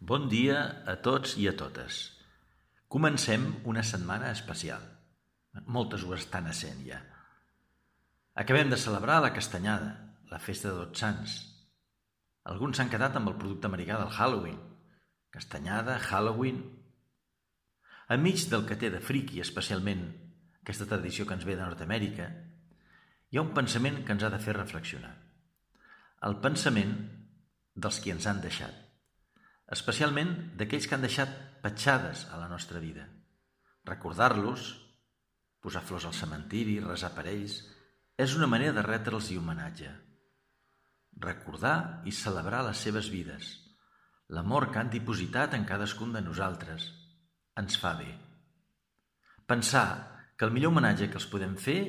Bon dia a tots i a totes. Comencem una setmana especial. Moltes ho estan essent ja. Acabem de celebrar la Castanyada, la festa de Tots Sants. Alguns s'han quedat amb el producte americà del Halloween. Castanyada, Halloween... Enmig del que té de friqui, especialment aquesta tradició que ens ve de Nord-Amèrica, hi ha un pensament que ens ha de fer reflexionar. El pensament dels qui ens han deixat, especialment d'aquells que han deixat petjades a la nostra vida. Recordar-los, posar flors al cementiri, resar per ells, és una manera de retre'ls i homenatge. Recordar i celebrar les seves vides, l'amor que han dipositat en cadascun de nosaltres, ens fa bé. Pensar que el millor homenatge que els podem fer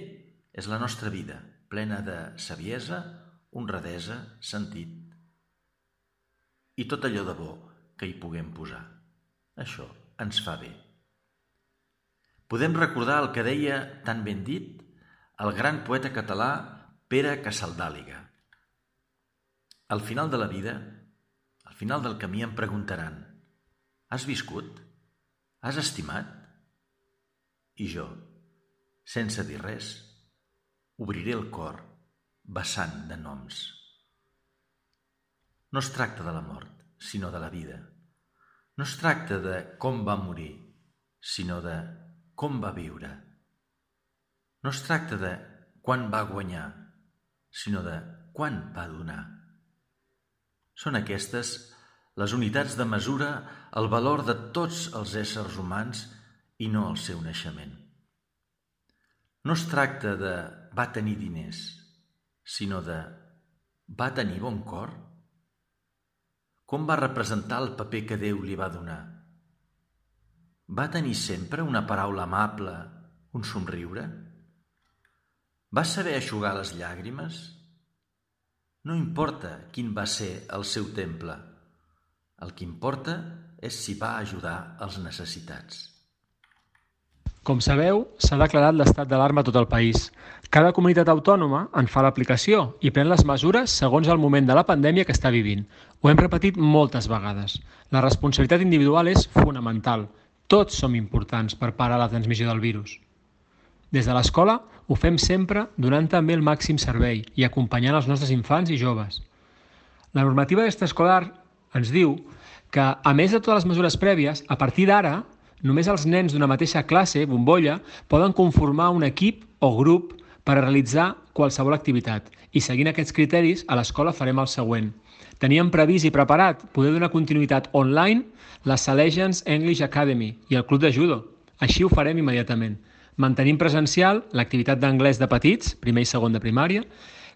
és la nostra vida, plena de saviesa, honradesa, sentit i tot allò de bo que hi puguem posar. Això ens fa bé. Podem recordar el que deia, tan ben dit, el gran poeta català Pere Casaldàliga. Al final de la vida, al final del camí em preguntaran: has viscut? Has estimat? I jo, sense dir res, obriré el cor vessant de noms. No es tracta de la mort, sinó de la vida. No es tracta de com va morir, sinó de com va viure. No es tracta de quan va guanyar, sinó de quan va donar. Són aquestes les unitats de mesura, el valor de tots els éssers humans i no el seu naixement. No es tracta de va tenir diners, sinó de va tenir bon cor? Com va representar el paper que Déu li va donar? Va tenir sempre una paraula amable, un somriure? Va saber eixugar les llàgrimes? No importa quin va ser el seu temple. El que importa és si va ajudar els necessitats. Com sabeu, s'ha declarat l'estat d'alarma a tot el país. Cada comunitat autònoma en fa l'aplicació i pren les mesures segons el moment de la pandèmia que està vivint. Ho hem repetit moltes vegades. La responsabilitat individual és fonamental. Tots som importants per parar la transmissió del virus. Des de l'escola ho fem sempre donant també el màxim servei i acompanyant els nostres infants i joves. La normativa extraescolar ens diu que, a més de totes les mesures prèvies, a partir d'ara, només els nens d'una mateixa classe, bombolla, poden conformar un equip o grup per a realitzar qualsevol activitat. I seguint aquests criteris, a l'escola farem el següent. Teníem previst i preparat poder donar continuïtat online la Salesians English Academy i el club de judo. Així ho farem immediatament. Mantenim presencial l'activitat d'anglès de petits, primer i segon de primària,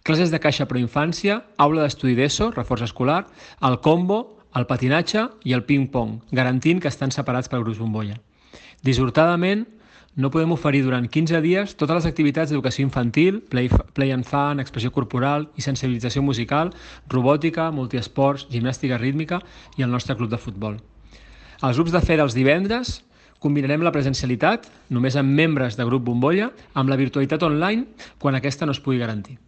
classes de caixa proinfància, aula d'estudi d'ESO, reforç escolar, el combo, el patinatge i el ping-pong, garantint que estan separats per grups bombolla. Dissortadament, no podem oferir durant 15 dies totes les activitats d'educació infantil, play and fun, expressió corporal i sensibilització musical, robòtica, multiesports, gimnàstica rítmica i el nostre club de futbol. Els grups de fe dels divendres combinarem la presencialitat, només amb membres de grup bombolla, amb la virtualitat online quan aquesta no es pugui garantir.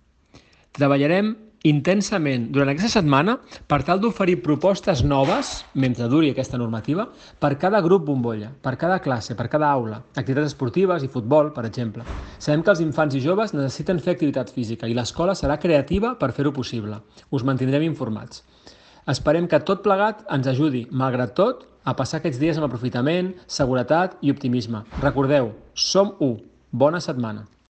Treballarem intensament durant aquesta setmana per tal d'oferir propostes noves, mentre duri aquesta normativa, per cada grup bombolla, per cada classe, per cada aula, activitats esportives i futbol, per exemple. Sabem que els infants i joves necessiten fer activitat física i l'escola serà creativa per fer-ho possible. Us mantindrem informats. Esperem que tot plegat ens ajudi, malgrat tot, a passar aquests dies amb aprofitament, seguretat i optimisme. Recordeu, som u. Bona setmana.